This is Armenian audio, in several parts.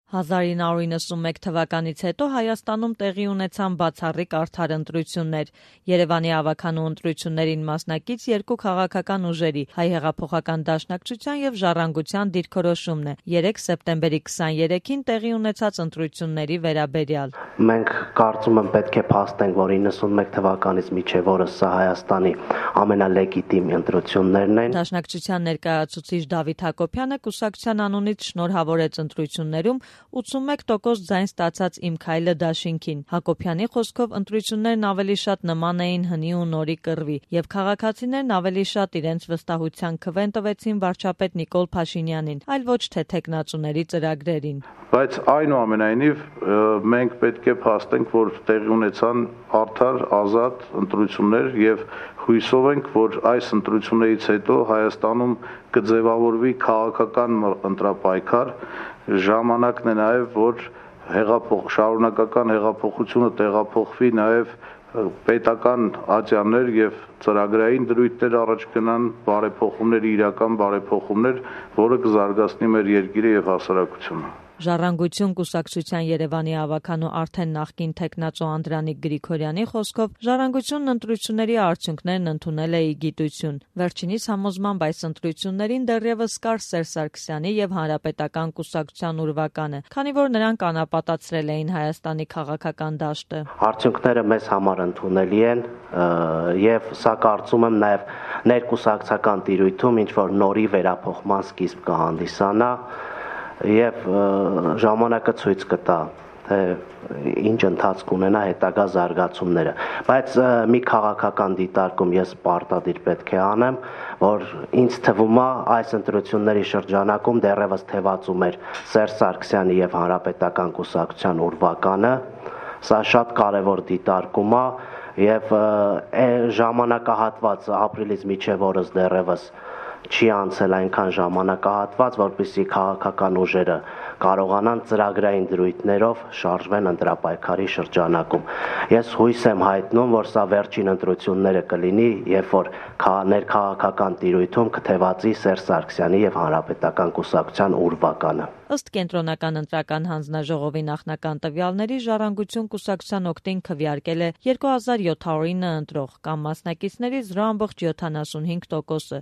1991 թվականից հետո Հայաստանում տեղի ունեցան բացառիկ արդար ընտրություններ։ Երևանի ավագանու ընտրություններին մասնակից երկու քաղաքական ուժերի՝ Հայ հեղափոխական դաշնակցության և Ժառանգության դիրքորոշումն է 3 սեպտեմբերի 23-ին տեղի ունեցած ընտրությունների վերաբերյալ։ Մենք կարծում եմ պետք է փաստենք, որ 91 թվականից մինչև օրս սա Հայաստանի ամենալեգիտիմ ընտրություններն են։ Դաշնակցության ներկայացուցիչ Դավիթ Հակոբյանը կուսակցության անունից շնորհավորեց ընտրություններում 81% ձայն ստացած Իմ քայլը դաշինքին։ Հակոբյանի խոսքով ընտրություններն ավելի շատ նման էին հնի ու նորի կռվի, եւ քաղաքացիներն ավելի շատ իրենց վստահության քվեն տվեցին վարչապետ Նիկոլ Փաշինյանին, այլ ոչ թե թեկնածուների ծրագրերին։ Բայց այնուամենայնիվ մենք պետք է փաստենք, որ տեղի ունեցան արդար, ազատ ընտրություններ եւ հույսով ենք, որ այս ընտրություններից հետո Հայաստանում կձևավորվի քաղաքական ընտրապայքար։ Ժամանակն է նաեւ, որ շարունակական հեղափոխությունը տեղափոխվի նաեւ պետական ատյաններ եւ ծրագրային դրույթներ առաջ գնան, բարեփոխումներ, իրական բարեփոխումներ, որը կզարգացնի մեր երկիրը եւ հասարակությունը։ Ժառանգություն կուսակցության Երևանի ավագանու արդեն նախկին թեկնածու Անդրանիկ Գրիգորյանի խոսքով Ժառանգությունն ընտրությունների արդյունքներն ընդունել է ի գիտություն։ Վերջինիս համոզմամբ այս ընտրություններին դեռևս կար Սերժ Սարգսյանի եւ Հանրապետական կուսակցության ուրվականը, քանի որ նրանք անապատացրել էին Հայաստանի քաղաքական դաշտը։ Արդյունքները մեզ համար ընդունելի են եւ սա կարծում եմ նաեւ ներկուսակցական տիրույթում ինչ որ նորի վերափոխման սկիզբ կհանդիսանա եւ ժամանակը ցույց կտա, թե ինչ ընթացք ունենա հետագա զարգացումները, բայց մի քաղաքական դիտարկում ես պարտադիր պետք է անեմ, որ ինձ թվում է այս ընտրությունների շրջանակում դեռևս թևածում էր Սերժ Սարգսյանի եւ Հանրապետական կուսակցության ուրվականը, սա շատ կարեւոր դիտարկում է եւ ժամանակահատվածը ապրիլից մինչեւ օրս դեռևս չի անցել այնքան ժամանակահատված, որպեսզի քաղաքական ուժերը կարողանան ծրագրային դրույթներով շարժվեն ընտրապայքարի շրջանակում։ Ես հույս եմ հայտնում, որ սա վերջին ընտրությունները կլինի, երբ որ ներքաղաքական տիրույթում կթևածի Սերժ Սարգսյանի եւ Հանրապետական կուսակցության ուրվականը։ Ըստ Կենտրոնական ընտրական հանձնաժողովի նախնական տվյալների Ժառանգություն կուսակցության օգտին քվեարկել է 2709 ընտրող կամ մասնակիցների 0.75%-ը,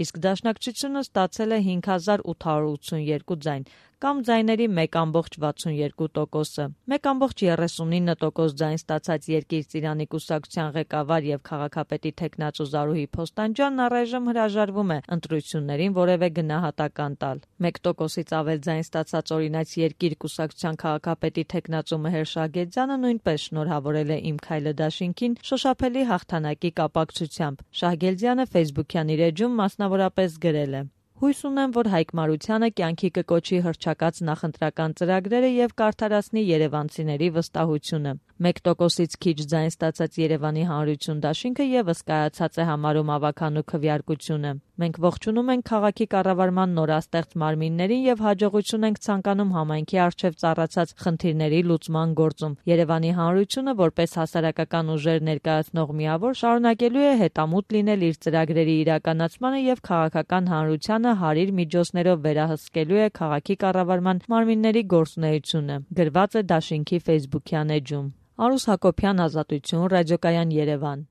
իսկ Դաշնակցությունը ստացել է 5882 ձայն կամ ձայների 1.62%-ը։ 1.39% ձայն ստացած Երկիր Ծիրանի կուսակցության ղեկավար եւ քաղաքապետի թեկնածու Զարուհի Փոստանջյանն առայժմ հրաժարվում է ընտրություններին որևէ գնահատական տալ։ 1%-ից ավել ձայն ստացած օրինաց Երկիր կուսակցության քաղաքապետի թեկնածու Մհեր Շահգեզյանը նույնպես շնորհավորել է Իմ քայլը դաշինքին շոշափելի հաղթանակի կապակցությամբ։ Շահգեզյանը Facebook-յան իր էջում մասնավորապես գրել է. Հույս ունեմ, որ Հայկ Մարությանը կյանքի կկոչի հռչակած նախընտրական ծրագրերը եւ կարդարացնի երևանցիների վստահությունը։ 1%-ից քիչ ձայն ստացած Երևանի Հանրություն դաշինքը եւս կայացած է համարում ավագանու քվեարկությունը։ Մենք ողջունում ենք քաղաքի կառավարման նորաստեղծ մարմիններին եւ հաջողություն ենք ցանկանում համայնքի առջեւ ծառացած խնդիրների լուծման գործում։ Երևանի Հանրությունը որպես հասարակական ուժեր ներկայացնող միավոր շարունակելու է հետամուտ լինել իր ծրագրերի իրականացմանը եւ քաղաքական հանրությանը հարիր միջոցներով վերահսկելու է քաղաքի կառավարման մարմինների գործունեությունը։ Գրված է դաշինքի Facebook-յան էջում։ Արուս Հակոբյան, Ազատություն, Ռադիոկայան Երևան։